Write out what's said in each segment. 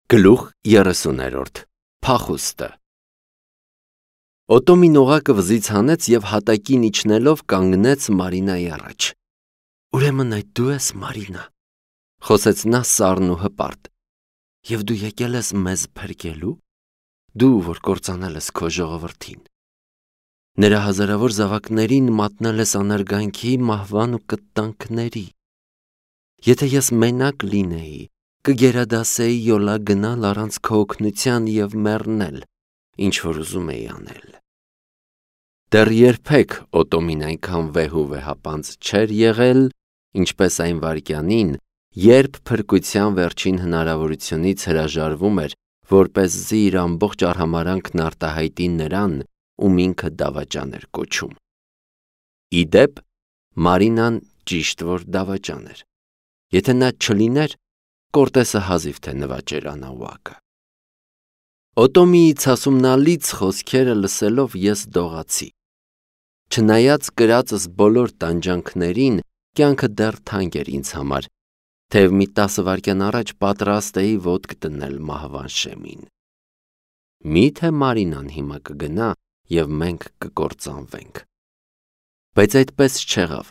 Գլուխ 30-րդ Փախուստը Օտոմին օղակը վզից հանեց և հատակին իջնելով կանգնեց Մարինայի առաջ։ «Ուրեմն այդ դու ես, Մարինա», խոսեց նա սառն ու հպարտ, «և դու եկել ես մեզ փրկելու, դու, որ կործանել ես քո ժողովրդին, նրա հազարավոր զավակներին մատնել ես անարգանքի, մահվան ու կտանքների։ Եթե ես մենակ լինեի, կգերադասեի յոլա գնալ առանց քո օգնության և մեռնել, ինչ որ ուզում էի անել»։ Դեռ երբեք Օտոմին այնքան վեհ ու վեհապանծ չէր եղել, ինչպես այն վայրկյանին, երբ փրկության վերջին հնարավորությունից հրաժարվում էր, որպեսզի իր ամբողջ արհամարհանքն արտահայտի նրան, ում ինքը դավաճան էր կոչում։ Ի դեպ, Մարինան ճիշտ որ դավաճան էր։ Եթե նա չլիներ, Կորտեսը հազիվ թե նվաճեր անահուակը։ Օտոմիի ցասումնալից խոսքերը լսելով ես դողացի։ Չնայած կրածս բոլոր տանջանքներին, կյանքը դեռ թանկ էր ինձ համար, թեև մի 10 վայրկյան առաջ պատրաստ էի ոտք դնել մահվան շեմին։ Մի՞թե Մարինան հիմա կգնա և մենք կկործանվենք։ Բայց այդպես չեղավ։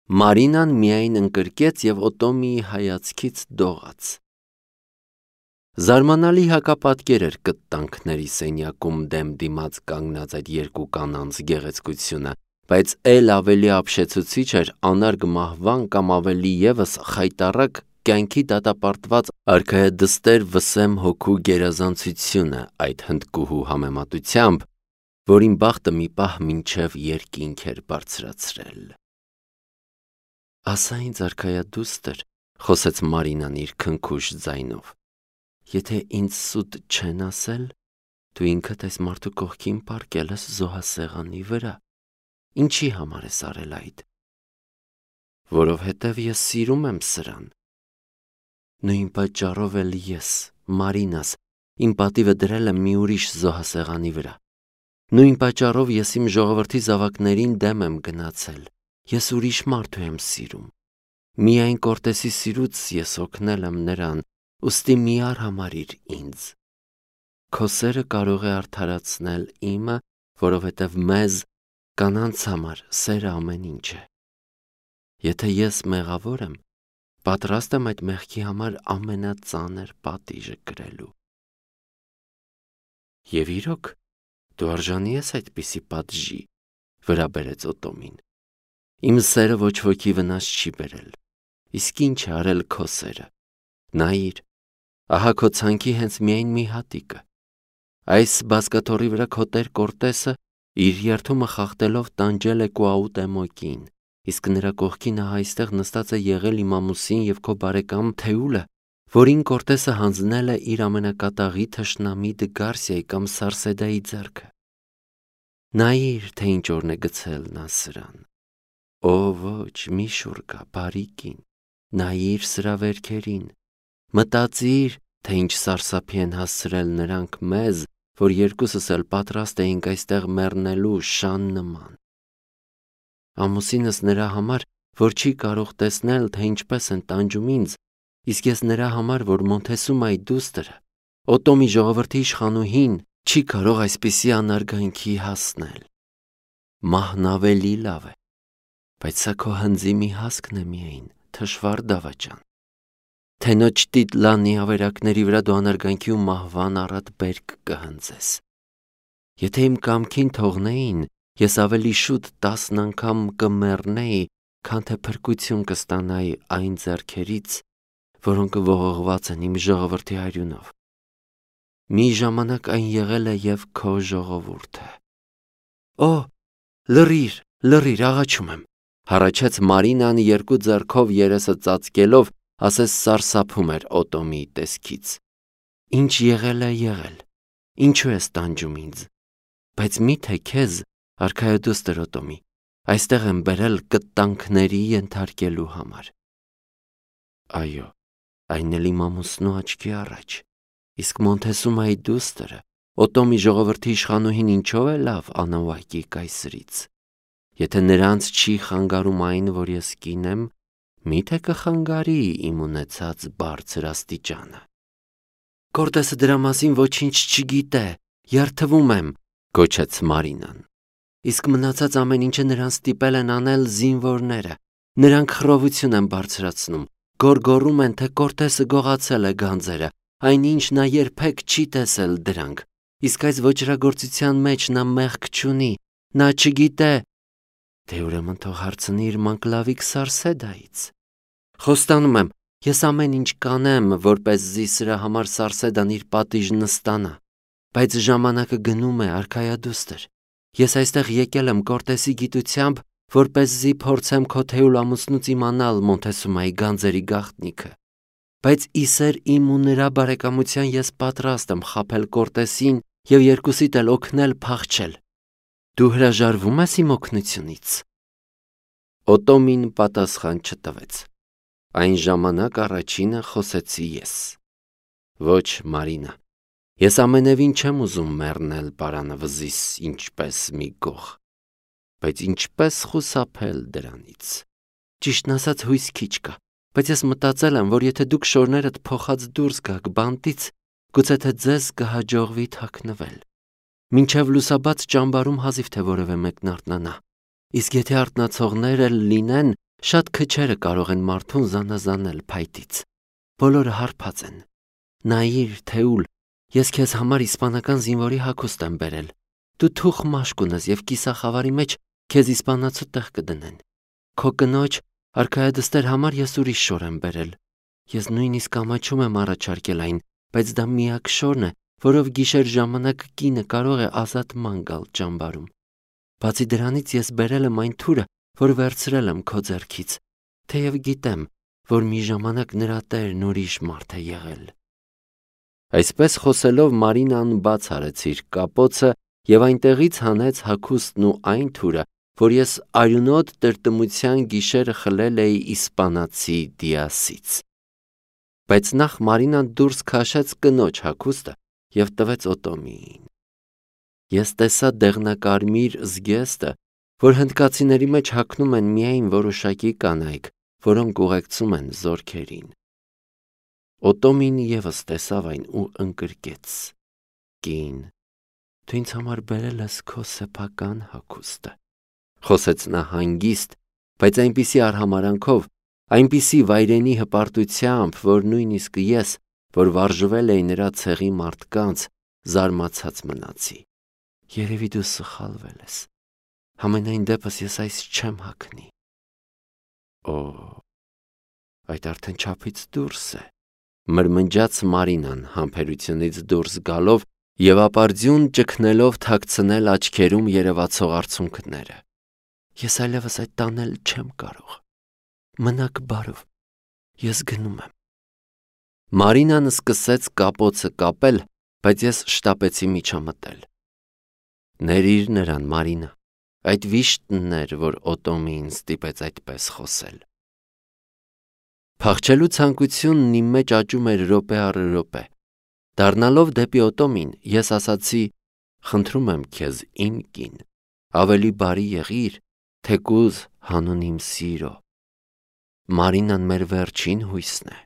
Մարինան միայն ընկրկեց և Օտոմիի հայացքից դողաց։ Զարմանալի հակապատկեր էր կտանքների սենյակում դեմ դիմաց կանգնած այդ երկու կանանց գեղեցկությունը, բայց էլ ավելի ապշեցուցիչ էր անարգ մահվան կամ ավելի ևս խայտառակ կյանքի դատապարտված արքայադստեր վսեմ հոգու գերազանցությունը այդ հնդկուհու համեմատությամբ, որին բախտը մի պահ մինչև երկինք էր բարձրացրել։ «Ասա ինձ, արքայադուստր», խոսեց Մարինան իր քնքուշ ձայնով, «եթե ինձ սուտ չեն ասել, դու ինքդ այս մարդու կողքին պառկել ես զոհասեղանի վրա, ինչի համար ես արել այդ»։ «Որովհետև ես սիրում եմ սրան»։ «Նույն պատճառով էլ ես, Մարինաս, իմ պատիվը դրել եմ մի ուրիշ զոհասեղանի վրա։ Նույն պատճառով ես իմ ժողովրդի զավակներին դեմ եմ գնացել, ես ուրիշ մարդու եմ սիրում։ Միայն Կորտեսի սիրուց ես օգնել եմ նրան, ուստի մի արհամարհիր ինձ։ Քո սերը կարող է արդարացնել իմը, որովհետև մեզ, կանանց համար, սերը ամեն ինչ է։ Եթե ես մեղավոր եմ, պատրաստ եմ այդ մեղքի համար ամենածանր պատիժը կրելու»։ «Եվ իրոք, դու արժանի ես այդպիսի պատժի», վրա բերեց Օտոմին։ «Իմ սերը ոչ ոքի վնաս չի բերել, իսկ ինչ է արել քո սերը։ Նայիր, ահա քո ցանքի հենց միայն մի հատիկը։ Այս բազկաթոռի վրա քո տեր Կորտեսը իր երդումը խախտելով տանջել է Կուաուտեմոկին, իսկ նրա կողքին ահա այստեղ նստած է եղել իմ ամուսին և քո բարեկամ Թեուլը, որին Կորտեսը հանձնել է իր ամենակատաղի թշնամի Դգարսիայի կամ Սարսեդայի ձեռքը։ Նայիր, թե ինչ օրն է գցել նա սրան։ Օ ոչ, մի շուռ գա, բարի կին, նայիր սրա վերքերին, մտածիր, թե ինչ սարսափի են հասցրել նրանք մեզ, որ երկուսս էլ պատրաստ էինք այստեղ մեռնելու շան նման։ Ամուսինս նրա համար, որ չի կարող տեսնել, թե ինչպես են տանջում ինձ, իսկ ես նրա համար, որ Մոնթեսումայի դուստրը, Օտոմի ժողովրդի իշխանուհին, չի կարող այսպիսի անարգանքի հասնել։ Մահն ավելի լավ է, բայց սա քո հնձի մի հասկն է միայն, թշվառ դավաճան։ Թենոչտիտլանի ավերակների վրա դու անարգանքի ու մահվան առատ բերք կհնձես։ Եթե իմ կամքին թողնեին, ես ավելի շուտ 10 անգամ կմեռնեի, քան թե փրկություն կստանայի այն ձեռքերից, որոնք ողողված են իմ ժողովրդի արյունով։ Մի ժամանակ այն եղել է և քո ժողովուրդը։ Օ, լռիր, աղաչում եմ, հառաչեց Մարինան երկու ձեռքով երեսը ծածկելով, ասես սարսափում էր Օտոմիի տեսքից։ Ինչ եղել է եղել, ինչու ես տանջում ինձ, բայց միթե քեզ, արքայադուստր Օտոմի, այստեղ եմ բերել կտանքների ենթարկելու համար։ Այո, այն էլ իմ ամուսնու աչքի առաջ, իսկ Մոնթեսումայի դուստրը, Օտոմի ժողովրդի իշխանուհին ինչով է լավ անահուակի կայսրից։ Եթե նրանց չի խանգարում այն, որ ես կին եմ, միթե կխանգարի իմ ունեցած բարձր աստիճանը։ Կորտեսը դրա մասին ոչինչ չգիտե, երդվում եմ, գոչեց Մարինան։ Իսկ մնացած ամեն ինչը նրան ստիպել են անել զինվորները։ Նրանք խռովություն են բարձրացնում, գոռգոռում են, թե Կորտեսը գողացել է գանձերը, այնինչ նա երբեք չի տեսել դրանք։ Իսկ այս ոճրագործության մեջ նա մեղք չունի, նա չգիտե։ Դե ուրեմն թող հարցնի իր մանկլավիկ Սարսեդայից։ Խոստանում եմ, ես ամեն ինչ կանեմ, որպեսզի սրա համար Սարսեդան իր պատիժն ստանա։ Բայց ժամանակը գնում է, արքայադուստր։ Ես այստեղ եկել եմ Կորտեսի գիտությամբ, որպեսզի փորձեմ քո թեյուլ ամուսնուց իմանալ Մոնտեսումայի գանձերի գաղտնիքը։ Բայց իսեր իմ ու նրա բարեկամության ես պատրաստ եմ խաբել Կորտեսին եւ երկուսիդ էլ օգնել փախչել։ Դու հրաժարվում ես իմ օգնությունից։ Օտոմին պատասխան չտվեց։ Այն ժամանակ առաջինը խոսեցի ես։ Ոչ, Մարինա, ես ամենևին չեմ ուզում մեռնել պարանը վզիս ինչպես մի գող, բայց ինչպես խուսափել դրանից։ Ճիշտն ասած հույս քիչ կա, բայց ես մտածել եմ, որ եթե դուք շորներդ փոխած դուրս գաք բանտից, գուցե թե ձեզ կհաջողվի թաքնվել։ Մինչև լուսաբաց ճամբարում հազիվ թե որևէ մեկն արթնանա, իսկ եթե արթնացողներ էլ լինեն, շատ քչերը կարող են մարդուն զանազանել փայտից։ Բոլորը հարբած են։ Նայիր, թեուլ, ես քեզ համար իսպանական զինվորի հագուստ եմ բերել։ Դու թուխ մաշկ ունես եւ կիսախավարի մեջ քեզ իսպանացու տեղ կդնեն։ Քո կնոջ արքայադստեր համար ես ուրիշ շոր եմ բերել։ Ես նույնիսկ ամաչում եմ առաջարկել այն, բայց դա միակ շորն է, որով գիշեր ժամանակ կինը կարող է ազատման գալ ճամբարում։ Բացի դրանից ես բերել եմ այն թուրը, որ վերցրել եմ քո ձեռքից, թեև գիտեմ, որ մի ժամանակ նրա տերն ուրիշ մարդ է եղել։ Այսպես խոսելով Մարինան բաց արեց իր կապոցը եւ այնտեղից հանեց հագուստն ու այն թուրը, որ ես արյունոտ տրտմության գիշերը խլել էի իսպանացի Դիասից։ Բայց նախ Մարինան դուրս քաշեց կնոջ հագուստը եւ տվեց Օտոմիին։ Ես տեսա դեղնակարմիր զգեստը, որ հնդկացիների մեջ հագնում են միայն որոշակի կանայք, որոնք ուղեկցում են զորքերին։ Օտոմին եւս տեսավ այն ու ընկրկեց. Կին, դու ինձ համար բերել ես քո սեփական հագուստը, խոսեց նա հանգիստ, բայց այնպիսի արհամարանքով, այնպիսի վայրենի հպարտությամբ, որ նույնիսկ ես, որ վարժվել էի նրա ցեղի մարդկանց, զարմացած մնացի։ Երևի դու սխալվել ես։ Համենայն դեպս ես այս չեմ հագնի։ Օ, այդ արդեն չափից դուրս է, մրմնջաց Մարինան համբերությունից դուրս գալով եւ ապարդյուն ճգնելով թաքցնել աչքերում երևացող արցունքները։ Ես այլևս այդ տանել չեմ կարող։ Մնաք բարով, ես գնում եմ։ Մարինան սկսեց կապոցը կապել, բայց ես շտապեցի միջամտել։ Ներիր նրան, Մարինա, այդ վիշտն էր, որ Օտոմին ստիպեց այդպես խոսել։ Փախչելու ցանկությունն իմ մեջ աճում էր րոպե առ րոպե։ Դառնալով դեպի Օտոմին, ես ասացի. խնդրում եմ քեզ, իմ կին, ավելի բարի եղիր, թեկուզ հանուն իմ սիրո։ Մարինան մեր վերջին հույսն է։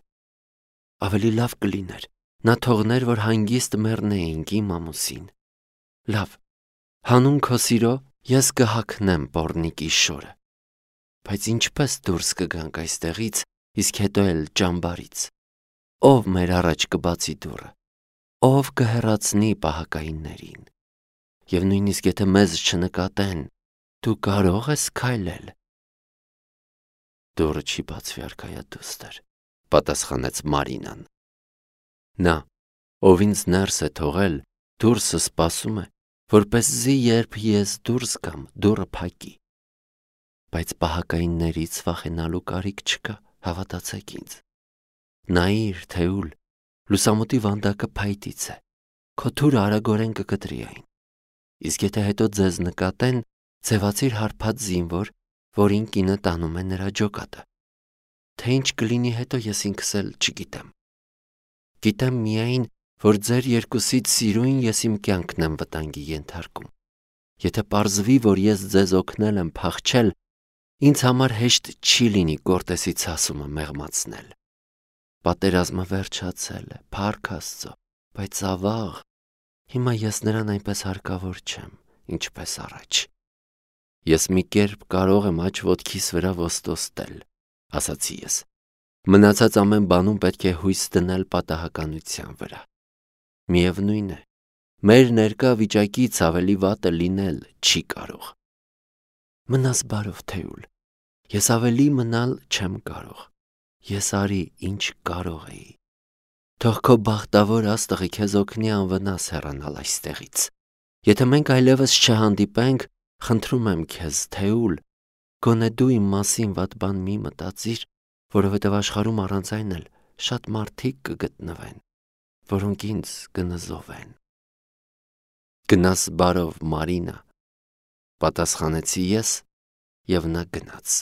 Ավելի լավ կլիներ, նա թողներ, որ հանգիստ մեռնեինք իմ ամուսին։ Լավ, հանուն քո սիրո ես կհագնեմ պոռնիկի շորը։ Բայց ինչպես դուրս կգանք այստեղից, իսկ հետո էլ ճամբարից։ Ով մեր առաջ կբացի դուռը, ով կհեռացնի պահակայիններին։ Եվ նույնիսկ եթե մեզ չնկատեն, դու կարող ես քայլել։ Դուռը չի բացվի, արքայադուստր, պատասխանեց Մարինան։ Նա, ով ինձ ներս է թողել, դուրսը սպասում է, որպեսզի երբ ես դուրս գամ, դուռը փակի։ Բայց պահակայիններից վախենալու կարիք չկա, հավատացեք ինձ։ Նայիր, թեուլ, լուսամուտի վանդակը փայտից է, քո թուրը արագորեն կկտրի այն։ Իսկ եթե հետո ձեզ նկատեն, ձևացիր հարբած զինվոր, որին կինը տանում է նրա ջոկատը։ Թե ինչ կլինի հետո ես ինքս էլ չգիտեմ։ Գիտեմ միայն, որ ձեր երկուսից սիրուն ես իմ կյանքն եմ վտանգի ենթարկում։ Եթե պարզվի, որ ես ձեզ օգնել եմ փախչել, ինձ համար հեշտ չի լինի Կորտեսի ցասումը մեղմացնել։ Պատերազմը վերջացել է, փառք Աստծո, բայց ավաղ, հիմա ես նրան այնպես հարկավոր չեմ, ինչպես առաջ։ Ես մի կերպ կարող եմ աջ ոտքիս վրա ոստոստել, ասացի ես։ Մնացած ամեն բանում պետք է հույս դնել պատահականության վրա։ Միևնույն է, մեր ներկա վիճակից ավելի վատը լինել չի կարող։ Մնաս բարով, Թեուլ, ես ավելի մնալ չեմ կարող, ես արի ինչ կարող էի։ Թող քո բախտավոր աստղը քեզ օգնի անվնաս հեռանալ այստեղից։ Եթե մենք այլևս չհանդիպենք, խնդրում եմ քեզ, Թեուլ, գոնե դու իմ մասին վատ բան մի մտածիր, որովհետև աշխարհում առանց այն էլ շատ մարդիկ կգտնվեն, որոնք ինձ կնզովեն։ Գնաս բարով, Մարինա, պատասխանեցի ես, եւ նա գնաց։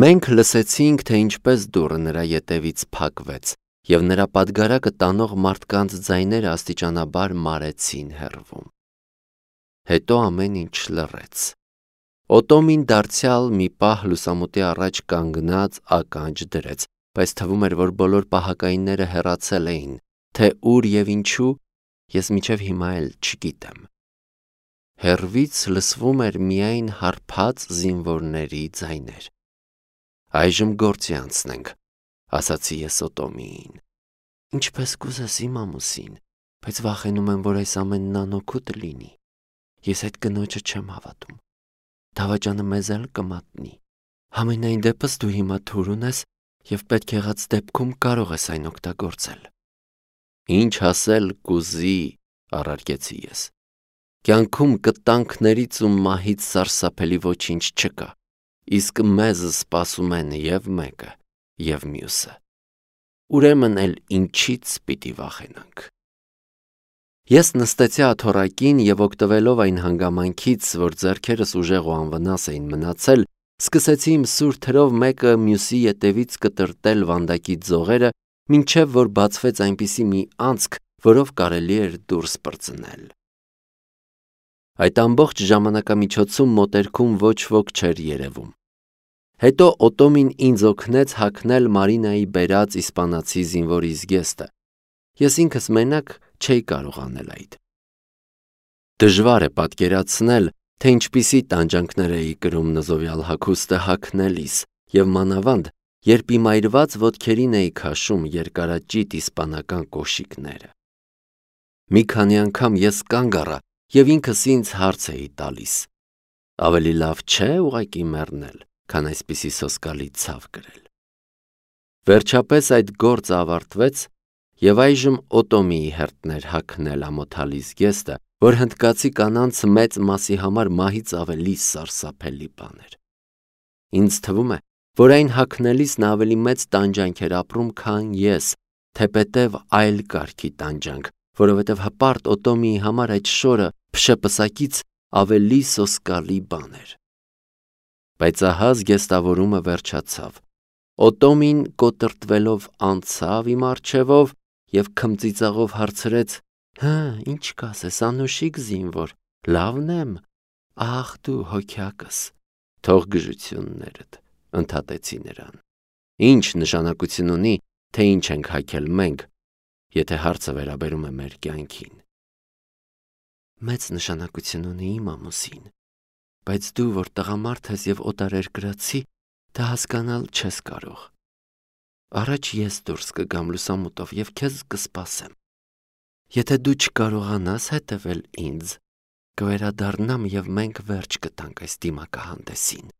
Մենք լսեցինք, թե ինչպես դուռը նրա ետևից փակվեց, եւ նրա պատգարակը տանող մարդկանց ձայները աստիճանաբար մարեցին հեռվում։ Հետո ամեն ինչ լռեց։ Օտոմին դարձյալ մի պահ լուսամուտի առաջ կանգնած ականջ դրեց, բայց թվում էր, որ բոլոր պահակայինները հեռացել էին, թե ուր եւ ինչու, ես մինչև հիմա էլ չգիտեմ։ Հեռվից լսվում էր միայն հարբած զինվորների ձայներ։ Այժմ գործի անցնենք, ասացի ես Օտոմիին։ Ինչպես կուզես իմ ամուսին, բայց վախենում եմ, որ այս ամենն անօգուտ լինի։ Ես այդ կնոջը չեմ հավատում։ Դավաճանը մեզ էլ կմատնի։ Համենայն դեպս դու հիմա թուր ունես եւ պետք եղած դեպքում կարող ես այն օգտագործել։ Ինչ ասել կուզի, առարկեցի ես։ Կյանքում կտանքներից ու մահից սարսափելի ոչինչ չկա, իսկ մեզ սպասում են եւ մեկը, եւ մյուսը։ Ուրեմն էլ ինչից պիտի վախենանք։ Ես նստեցի աթոռակին եւ օգտվելով այն հանգամանքից, որ ձեռքերս ուժեղ ու անվնաս էին մնացել, սկսեցի իմ սուր թրով մեկը մյուսի ետևից կտրտել վանդակի ձողերը, մինչև որ բացվեց այնպիսի մի անցք, որով կարելի էր դուրս պրծնել։ Այդ ամբողջ ժամանակամիջոցում մոտերքում ոչ ոք չէր երևում։ Հետո Օտոմին ինձ օգնեց հագնել Մարինայի բերած իսպանացի զինվորի զգեստը։ Ես ինքս մենակ չէի կարող անել այդ։ Դժվար է պատկերացնել, թե ինչպիսի տանջանքներ էի կրում նզովյալ հագուստը հագնելիս, եւ մանավանդ, երբ իմ այրված ոտքերին էի քաշում երկարաճիտ իսպանական կոշիկները։ Մի քանի անգամ ես կանգ առա եւ ինքս ինձ հարց էի տալիս. ավելի լավ չէ ուղղակի մեռնել, քան այսպիսի սոսկալի ցավ կրել։ Վերջապես այդ գործը ավարտվեց եւ այժմ Օտոմիի հերթն էր հագնել ամոթալի զգեստը, որ հնդկացի կանանց մեծ մասի համար մահից ավելի սարսափելի բան էր։ Ինձ թվում է, որ այն հագնելիս նա ավելի մեծ տանջանք էր ապրում, քան ես, թեպետև այլ կարգի տանջանք, որովհետև հպարտ Օտոմիի համար այդ շորը փշեպսակից ավելի սոսկալի բան էր։ Բայց ահա զգեստավորումը վերջացավ։ Օտոմին կոտրտվելով անցավ իմ առջևով եւ քմծիծաղով հարցրեց. «Հա, ինչ կասես, անուշիկ զինվոր, լավն եմ, ախ դու հոգյակս, թող գժություններդ», ընդհատեցի նրան։ Ինչ նշանակություն ունի, թե ինչ ենք հագել մենք, եթե հարցը վերաբերում է մեր կյանքին։ Մեծ նշանակություն ունի իմ ամուսին, բայց դու, որ տղամարդ ես եւ օտարերկրացի, դա հասկանալ չես կարող։ Առաջ ես դուրս կգամ լուսամուտով եւ քեզ կսպասեմ։ Եթե դու չկարողանաս հետևել ինձ, կվերադառնամ եւ մենք վերջ կտանք այս դիմակահանդեսին։